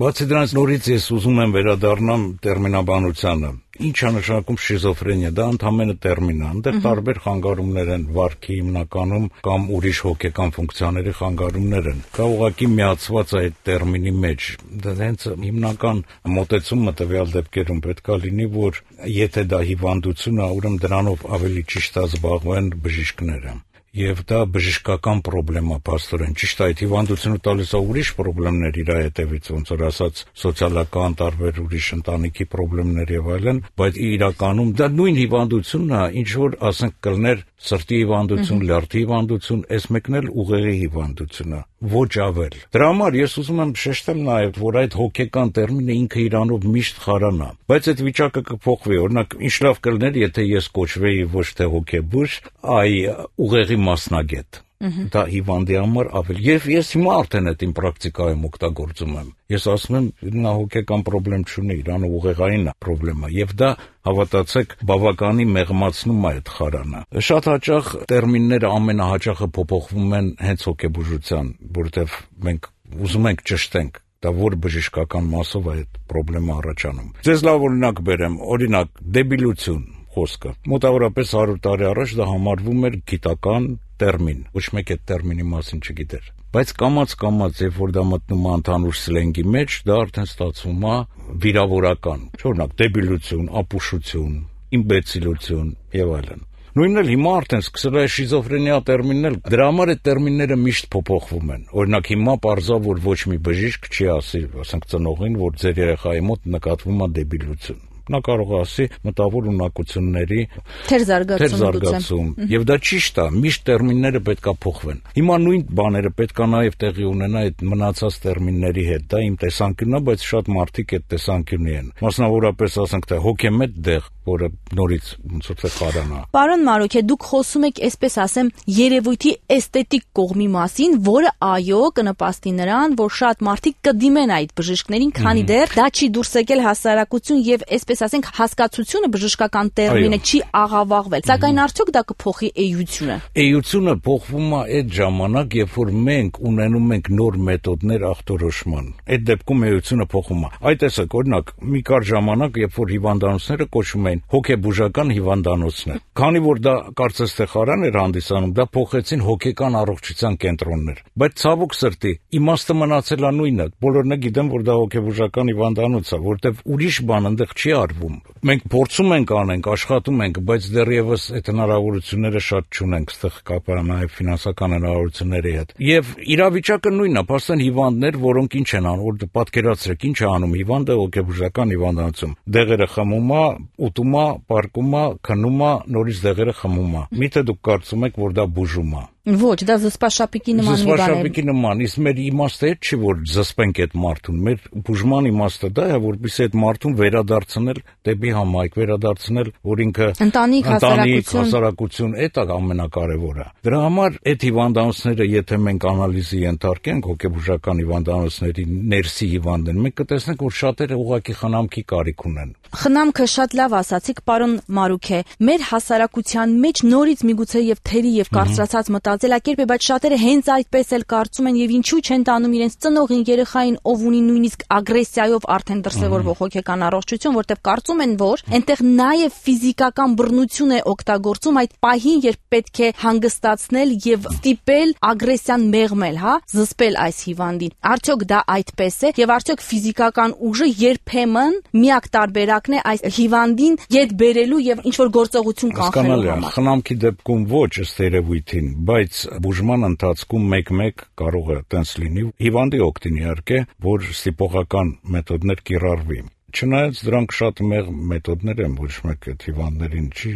բացի դրանից նորից ես ուզում եմ վերադառնամ տերմինաբանությանը։ Ինչ է նշանակում շիզոֆրենիա, դա ընդհանրապես տերմին է, այնտեղ տարբեր խանգարումներ են, վարքի հիմնականում կամ ուրիշ հոգեկան ֆունկցիաների խանգարումներ են։ Դա ուղղակի միացված է այդ տերմինի մեջ։ Դա հենց հիմնական մոտեցումը տվյալ դեպքերում պետք է լինի, որ եթե դա հիվանդություն է, ուրեմն դրանով ավելի ճիշտ է զբաղվեն բժիշկները։ Եվ դա բժշկական պրոբլեմ է, փաստորեն։ Ճիշտ է, այդ հիվանդությունը տալիս է ուրիշ պրոբլեմներ իր հետևից, ոնց որ ասած, սոցիալական տարբեր ուրիշ ընտանիքի պրոբլեմներ եւ այլն, բայց իրականում դա նույն հիվանդությունն է, ինչ որ ասենք կլներ սրտի հիվանդություն, լյարդի հիվանդություն, այս մեկն էլ ուղեղի հիվանդություն է, ոչ ավել։ Դրա համար ես ուզում եմ շեշտել նաեւ, որ այդ հոգեկան տերմինը ինքը իրանով միշտ խարանա, բայց այդ վիճակը կփոխվի։ Օրինակ, ինչ լավ կլներ, եթե ես կոչվեի ոչ թե հոգեբույժ, այ ուղեղի մասնագետ։ Դա հիվանդի համար ավելի։ Եվ ես հիմա արդեն այդ իմ պրակտիկայում օգտագործում եմ։ Ես ասում եմ, նա հոգեկան պրոբլեմ չունի, իրան ուղեղային է պրոբլեմը, եւ դա հավատացեք, բավականին մեղմացնում է այդ խարանը։ Շատ հաճախ տերմինները ամենահաճախը փոփոխվում են հենց հոգեբուժության, որովհետեւ մենք ուզում ենք ճշտենք դա որ բժշկական մասով է այդ պրոբլեմը առաջանում։ Ձեզ լավ օրինակ բերեմ, օրինակ դեբիլություն խոսքը։ Մոտավորապես 100 տարի առաջ դա համարվում էր գիտական տերմին, ոչ մեկ այդ տերմինի մասին չգիտեր։ Բայց կամաց, երբ որ դա մտնում է ընդհանուր սլենգի մեջ, դա արդեն ստացվում է վիրավորական։ Օրինակ դեբիլություն, ապուշություն, իմբեցիլություն եւ այլն։ Նույնն էլ հիմա արդեն սկսել է շիզոֆրենիա տերմինն էլ, դրա համար այդ տերմինները միշտ փոփոխվում են։ Օրինակ հիմա պարզա, որ ոչ մի բժիշկ չի ասի, ասենք ծնողին, որ ձեր երեխայի մոտ նկատվում է դեբիլություն։ Նա կարող է ասի մտավոր ունակությունների թերզարգացում։ Եվ դա ճիշտ է, միշտ տերմինները պետքա փոխվեն։ Հիմա նույն բաները պետքա նաև տեղի ունենա այդ մնացած տերմինների հետ։ Դա իմ տեսանկյունն է, բայց շատ մարդիկ այդ տեսանկյունի են։ Մասնավորապես ասենք թե հոգեմետ դեղ, որը նորից ոնց որ թե խարանա։ Պարոն Մարոկե, դուք խոսում եք, այսպես ասեմ, երևույթի էսթետիկ կողմի մասին, որը այո կնպաստի նրան, որ շատ մարդիկ կդիմեն այդ բժիշկներին, քանի դեռ դա չի դուրս եկել հասարակություն եւ այսպես ասենք հասկացությունը բժշկական տերմինը չի աղավաղվել։ Սակայն արդյոք դա կփոխի էությունը։ Էությունը փոխվում է այդ ժամանակ, երբ որ մենք ունենում ենք նոր մեթոդներ ախտորոշման։ Այդ դեպքում էությունը փոխվում է։ Այդ տեսակ, օրինակ, մի կար ժամանակ, երբ որ հիվանդանոցները կոչվում էին հոգեբուժական հիվանդանոցներ։ Քանի որ դա կարծես թե խարան էր հանդիսանում, դա փոխեցին հոգեկան առողջության կենտրոններ։ Բայց ցավոք սրտի, իմաստը մնացել է նույնը։ Բոլորն գիտեն, որ դա հոգեբուժական հիվանդանոց է, որտեղ ուրիշ բան այնտեղ չի արվում։ Մենք փորձում ենք անենք, աշխատում ենք, բայց դեռևս այդ հնարավորությունները շատ չունենք, այստեղ կապը նաև ֆինանսական հնարավորությունների հետ։ Եվ իրավիճակը նույնն է, փաստորեն հիվանդներ, որոնք ինչ են անում, որ պատկերացրեք, ինչ է անում հիվանդը հոգեբուժական հիվանդանոցում։ Դեղերը խմում է, ուտում է, պարկում է, քնում է, նորից դեղերը խմում է։ Միթե դուք կարծում եք, որ դա բուժում է։ Ոչ, դա զսպաշապիկի նման մի բան է։ Զսպաշապիկի նման, իսկ մեր իմաստը այդ չի, որ զսպենք այդ մարդուն։ Մեր բուժման իմաստը դա է, որպեսզի այդ մարդուն վերադարձնել դեպի համայնք, վերադարձնել, որ ինքը ընտանիք, հասարակություն, այդ է ամենակարևորը։ Դրա համար այդ հիվանդանոցները, եթե մենք անալիզի ենթարկենք հոգեբուժական հիվանդանոցների ներսի հիվանդներ, մենք կտեսնենք, որ շատերը ուղղակի խնամքի կարիք ունեն։ Խնամքը շատ լավ ասացիք, պարոն Մարուքե։ Մեր հասարակության մեջ նորից միգուցե եւ թերի եւ կարծրացած մտածելակերպ է, բայց շատերը հենց այդպես էլ կարծում են եւ ինչու չեն տանում իրենց ծնողին, երեխային, ով ունի նույնիսկ ագրեսիայով արդեն դրսևորվող հոգեկան առողջություն, որտեղ կարծում են, որ այնտեղ նաեւ ֆիզիկական բռնություն է օգտագործում այդ պահին, երբ պետք է հանգստացնել եւ ստիպել ագրեսիան մեղմել, հա, զսպել այս հիվանդին։ Արդյոք դա այդպես է եւ արդյոք ֆիզիկական ուժը երբեմն միակ տարբերակն է այս հիվանդին յետ բերելու եւ ինչ որ գործողություն կանխելու համար։ Խնամքի դեպքում ոչ ըստ երևույթին, բայց բուժման ընթացքում մեկ-մեկ կարող է տենց լինի, հիվանդի օգտին իհարկե, որ ստիպողական մեթոդներ կիրառվի։ Չնայած դրանք շատ մեղ մեթոդներ են, ոչ մեկ այդ հիվանդներին չի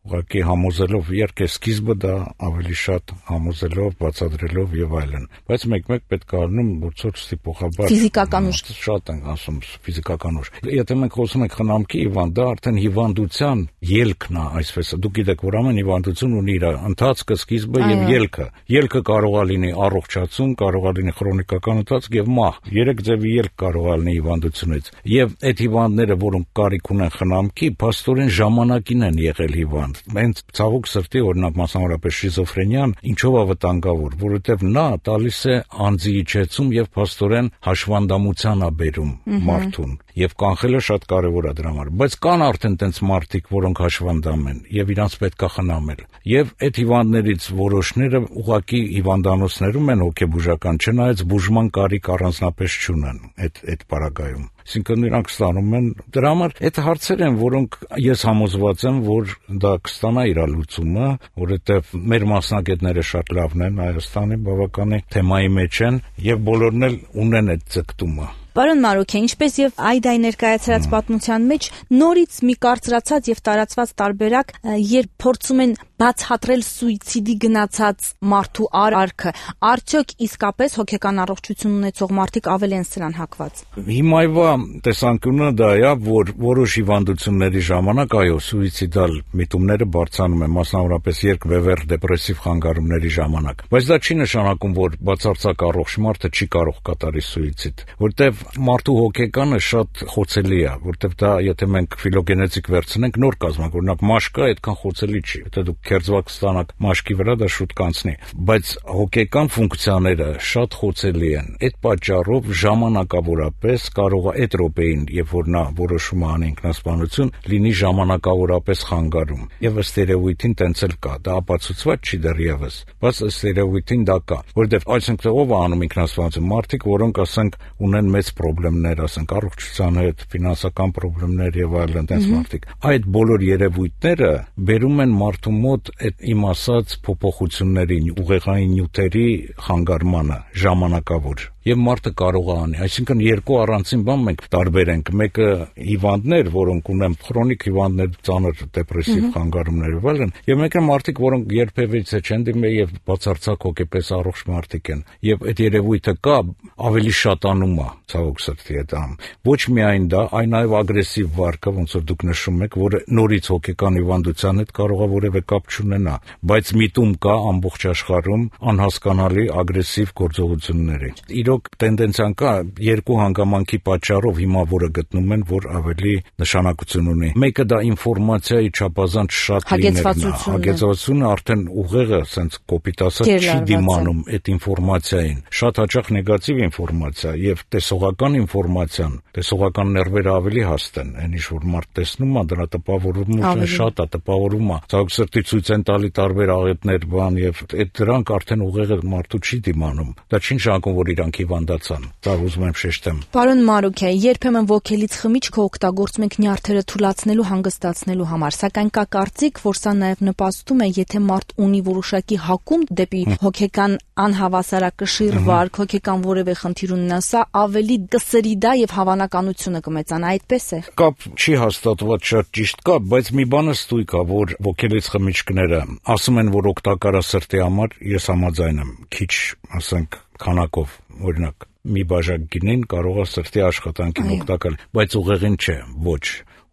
ուղղակի համոզելով, իհարկե սկիզբը դա ավելի շատ համոզելով, բացատրելով եւ այլն, բայց մեկ-մեկ պետք է առնում որցոր ստիպողաբար ֆիզիկական ուժ, շատ են ասում ֆիզիկական ուժ։ Եթե մենք խոսում ենք խնամքի հիվանդ, դա արդեն հիվանդության ելքն է, այսպես։ Դուք գիտեք, որ ամեն հիվանդություն ունի իր ընթացքը, սկիզբը եւ ելքը։ Ելքը կարող է լինի առողջացում, կարող է լինի քրոնիկական ընթացք եւ մահ։ Երեք ձևի ելք կարող է լինի հիվանդությունից։ Եվ այդ հիվանդները, որոնք կարիք ունեն խնամքի, փաստորեն ժամանակին են եղել հիվանդ։ Հենց ցավոք սրտի, օրինակ մասնավորապես շիզոֆրենիան, ինչով է վտանգավոր, որովհետև նա տալիս է անձի իջեցում եւ փաստորեն հաշվանդամության է բերում մարդուն։ Եվ կանխելը շատ կարևոր է դրա համար, բայց կան արդեն տենց մարդիկ, որոնք հաշվանդամ են եւ իրանց պետք է խնամել։ Եվ այդ հիվանդներից որոշները ուղղակի հիվանդանոցներում են հոգեբուժական, չնայած բուժման կարիք առանձնապես չունեն այդ պարագայում։ Այսինքն նրանք ստանում են, դրա համար այդ հարցեր են, որոնք ես համոզված եմ, որ դա կստանա իր լուծումը, որովհետև մեր մասնագետները շատ լավն են Հայաստանի, բավականին թեմայի մեջ են եւ բոլորն էլ ունեն այդ ձգտումը։ Պարոն Մարուքե, ինչպես եւ Այդայի ներկայացրած պատմության մեջ նորից մի կարծրացած եւ տարածված տարբերակ, երբ փորձում են բացատրել սուիցիդի գնացած մարդու արարքը, արդյոք իսկապես հոգեկան առողջություն ունեցող մարդիկ ավելի են սրան հակված։ Հիմայվա տեսանկյունը դա է, որ որոշ հիվանդությունների ժամանակ այո, սուիցիդալ միտումները բարձրանում են, մասնավորապես երկբևեռ դեպրեսիվ խանգարումների ժամանակ։ Բայց դա չի նշանակում, որ բացարձակ առողջ մարդը չի կարող կատարի սուիցիդ, որտեղ մարդու հոգեկանը շատ խոցելի է, որտեղ դա եթե մենք ֆիլոգենետիկ վերցնենք, նոր կազմակ, օրինակ մաշկը այդքան խոցելի չի, եթե դուք քերծված ստանաք մաշկի վրա, դա շուտ կանցնի, բայց հոգեկան ֆունկցիաները շատ խոցելի են։ Այդ պատճառով ժամանակավորապես կարող է այդ րոպեին, երբ որ նա որոշում անի ինքնասպանություն, լինի ժամանակավորապես խանգարում։ Եվ ըստ երևույթին տենց էլ կա, դա ապացուցված չի դեռևս, բայց ըստ երևույթին դա կա, որտեղ այսինքն ով է անում ինքնասպանություն, մարդիկ, որոնք ասենք ունեն մեծ խնդիրներ, ասենք առողջության հետ, ֆինանսական խնդիրներ եւ այլն, տես մարդիկ։ Այդ բոլոր երևույթները բերում են մարդու մոտ այդ իմ ասած փոփոխություններին, ուղեղային նյութերի խանգարմանը ժամանակավոր։ Եվ մարդը կարող է անի, այսինքն երկու առանցին բան մենք տարբերենք, մեկը հիվանդներ, որոնք ունեն քրոնիկ հիվանդներ, ծանր դեպրեսիվ խանգարումներ եւ այլն, եւ մեկը մարդիկ, որոնք երբևիցե չեն դիմել եւ բացարձակ հոգեպես առողջ մարդիկ են։ Եվ այդ երևույթը կա, ավելի շատանում է, ցավոք սրտի այդ ամ։ Ոչ միայն դա, այլ նաեւ ագրեսիվ վարկը, ոնց որ դուք նշում եք, որը նորից հոգեկան հիվանդության հետ կարող է որևէ կապ չունենա, բայց միտում կա ամբողջ աշխարհում անհասկանալի ագրեսիվ գործողությունների։ Տենդենցիան կա երկու հանգամանքի պատճառով հիմա որը գտնում են, որ ավելի նշանակություն ունի։ Մեկը դա ինֆորմացիայի չափազանց շատ լինելն է, հագեցվածությունը արդեն ուղեղը sense կոպիտ ասած չի դիմանում այդ ինֆորմացիային։ Շատ հաճախ նեգատիվ ինֆորմացիա եւ տեսողական ինֆորմացիան, տեսողական ներվերը ավելի հաստ են, այն ինչ որ մարդ տեսնում է, դրա տպավորումը շատ է, տպավորում է։ Ցավոք սրտի ցույց են տալի տարբեր աղետներ, բան եւ այդ դրանք արդեն ուղեղը մարդու չի դիմանում։ Դա չի նշանակում, որ իրանք հիվանդացան։ Դա ուզում եմ շեշտեմ։ Պարոն Մարուկյա, երբեմն ոգելից խմիչքը օգտագործում ենք նյարդերը թուլացնելու, հանգստացնելու համար, սակայն կա կարծիք, որ սա նաև նպաստում է, եթե մարդ ունի որոշակի հակում դեպի հոգեկան անհավասարակշիռ վարք, հոգեկան որևէ խնդիր ունենա, սա ավելի կսրի դա եւ հավանականությունը կմեծանա, այդպես է։ Կապ չի հաստատված շատ ճիշտ կապ, բայց մի բանը ստույգ է, որ ոգելից խմիչքները ասում են, որ օգտակար է սրտի համար, ես համաձայն եմ, քիչ, ասենք, քանակով, օրինակ մի բաժակ գինին կարող է սրտի աշխատանքին օգտակար, բայց ուղեղին չէ, ոչ,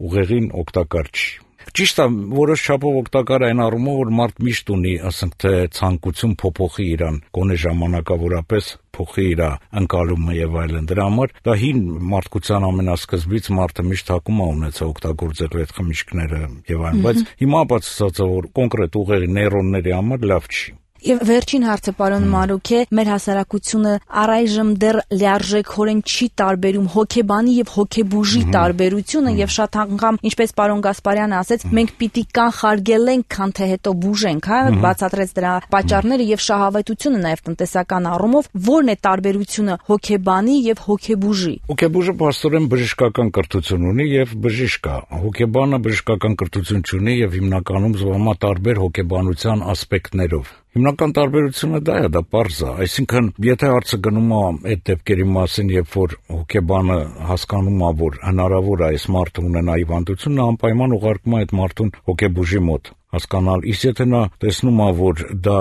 ուղեղին օգտակար չի։ Ճիշտ է, որոշ չափով օգտակար այն առումով, որ մարդ միշտ ունի, ասենք թե ցանկություն փոփոխի իրան, գոնե ժամանակավորապես փոխի իր ընկալումը եւ այլն։ Դրա համար դա հին մարդկության ամենասկզբից մարդը միշտ հակում է ունեցել օգտագործել այդ խմիչքները եւ այլն, բայց հիմա բացասած է, որ կոնկրետ ուղեղի նեյրոնների համար լավ չի։ Եվ վերջին հարցը, պարոն Մարուկե, մեր հասարակությունը առայժմ դեռ լիարժեքորեն չի տարբերում հոգեբանի եւ հոգեբուժի տարբերությունը եւ շատ անգամ, ինչպես պարոն Գասպարյանը ասեց, մենք պիտի կանխարգելենք, քան թե հետո բուժենք, հա, բացատրեց դրա պատճառները եւ շահավետությունը նաեւ տնտեսական առումով, ո՞րն է տարբերությունը հոգեբանի եւ հոգեբուժի։ Հոգեբուժը փաստորեն բժշկական կրթություն ունի եւ բժիշկ է։ Հոգեբանը բժշկական կրթություն չունի եւ հիմնականում զբաղվում է տարբեր հոգեբանության ասպեկտներով։ Հիմնական տարբերությունը դա է, դա պարզ է, այսինքն եթե հարցը գնում է այդ դեպքերի մասին, երբ որ հոգեբանը հասկանում է, որ հնարավոր է այս մարդը ունենա հիվանդություն, նա անպայման ուղարկում է այդ մարդուն հոգեբուժի մոտ հասկանալ, իսկ եթե նա տեսնում է, որ դա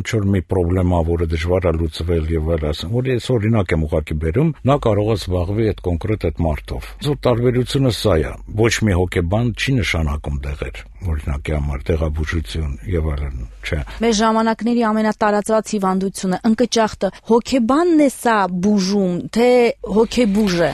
ինչ-որ մի պրոբլեմ է, որը դժվար է լուծվել եւ այլն, որ ես օրինակ եմ ուղղակի բերում, նա կարող է զբաղվի այդ կոնկրետ այդ մարդով։ זאת տարբերությունը սա է։ Ոչ մի հոգեբան չի նշանակում դեղեր, օրինակի համար տեղաբուժություն եւ այլն, չէ։ Մեր ժամանակների ամենատարածված հիվանդությունը ընկճախտը հոգեբանն է սա բուժում, թե հոգեբուժը։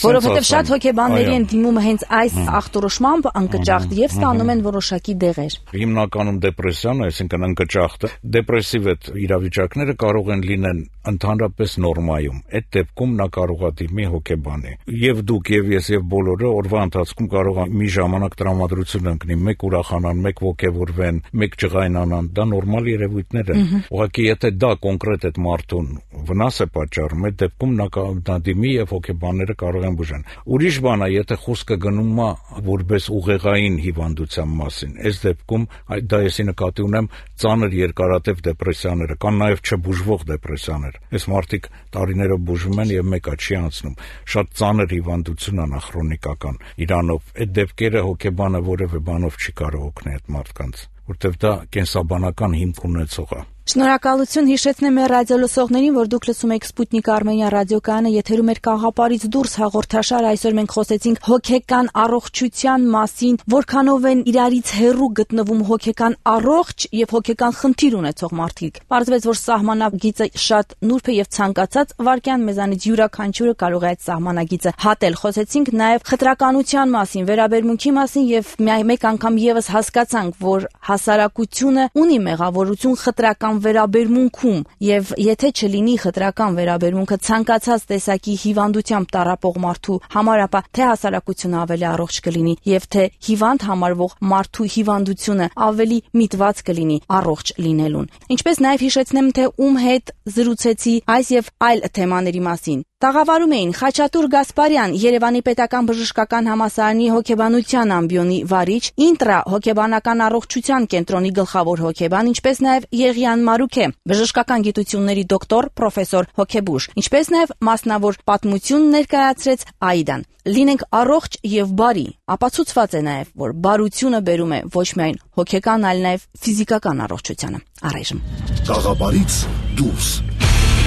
Որովհետեւ շատ հոգեբանների են դիմում հենց այս ախտորոշմամբ ընկճախտ եւ ստանում են որոշակի դեղեր։ Հիմնականում դեպրեսիան, այսինքն ընկճախտը, դեպրեսիվ այդ իրավիճակները կարող են լինեն ընդհանրապես նորմայում։ Այդ դեպքում նա կարող է դիմի հոգեբանի։ Եվ դուք եւ ես եւ բոլորը օրվա ընթացքում կարող է մի ժամանակ տրամադրություն ընկնի, մեկ ուրախանան, մեկ ոգևորվեն, մեկ ջղայնանան, դա նորմալ երևույթներ են։ Ուղղակի եթե դա կոնկրետ այդ մարդուն վնաս է պատճառում, այդ դեպքում նա դիմի եւ հոգեբանները կարող են բուժեն։ Ուրիշ բան է, եթե խոսքը գնում է որպես ուղեղային հիվանդության մասին, այս դեպքում դա եսի նկատի ունեմ ծանր երկարատև դեպրեսիաները, կան նաև չբուժվող դեպրեսիաներ։ Այս մարդիկ տարիներով բուժվում են եւ մեկը չի անցնում։ Շատ ծանր հիվանդություն է քրոնիկական իրանով։ Այդ դեպքերը հոգեբանը որևէ բանով չի կարող օգնել այդ մարդկանց, որտեղ դա կենսաբանական հիմք ունեցող է։ Շնորհակալություն, հիշեցնեմ մեր ռադիոլսողներին, որ դուք լսում եք Սպուտնիկ Արմենիա ռադիոկայանը, եթերում է Կաղապարից դուրս հաղորդաշար։ Այսօր մենք խոսեցինք հոգեկան առողջության մասին, որքանով են իրարից հեռու գտնվում հոգեկան առողջ եւ հոգեկան խնդիր ունեցող մարդիկ։ Պարզվեց, որ սահմանագիծը շատ նուրբ է եւ ցանկացած վարքյան մեզանից յուրաքանչյուրը կարող է այդ սահմանագիծը հատել։ Խոսեցինք նաեւ խտրականության մասին, վերաբերմունքի մասին եւ մեկ անգամ եւս հասկացանք, որ հասարակությունը ունի մեղավորություն խտրական վերաբերմունքում եւ եթե չլինի խտրական վերաբերմունքը ցանկացած տեսակի հիվանդությամբ տառապող մարդու համար, ապա թե հասարակությունը ավելի առողջ կլինի եւ թե հիվանդ համարվող մարդու հիվանդությունը ավելի միտված կլինի առողջ լինելուն։ Ինչպես նաեւ հիշեցնեմ, թե ում հետ զրուցեցի այս եւ այլ թեմաների մասին։ Տաղավարում էին Խաչատուր Գասպարյան, Երևանի պետական բժշկական համալսարանի հոգեբանության ամբիոնի վարիչ, Ինտրա հոգեբանական առողջության կենտրոնի գլխավոր հոգեբան, ինչպես նաև Եղիան Մարուկե, բժշկական գիտությունների դոկտոր, պրոֆեսոր, հոգեբուժ, ինչպես նաև մասնավոր պատմություն ներկայացրեց Աիդան։ Լինենք առողջ եւ բարի, ապացուցված է նաև, որ բարությունը բերում է ոչ միայն հոգեկան, այլ նաև ֆիզիկական առողջությանը։ Առայժմ Կաղապարից դուրս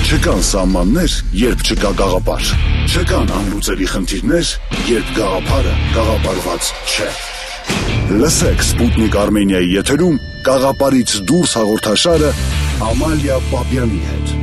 չկան սահմաններ, երբ չկա գաղափար։ Չկան անլուծելի խնդիրներ, երբ գաղափարը գաղափարված չէ։ Լսեք Սպուտնիկ Արմենիայի եթերում Կաղապարից դուրս հաղորդաշարը Ամալիա Պապյանի հետ։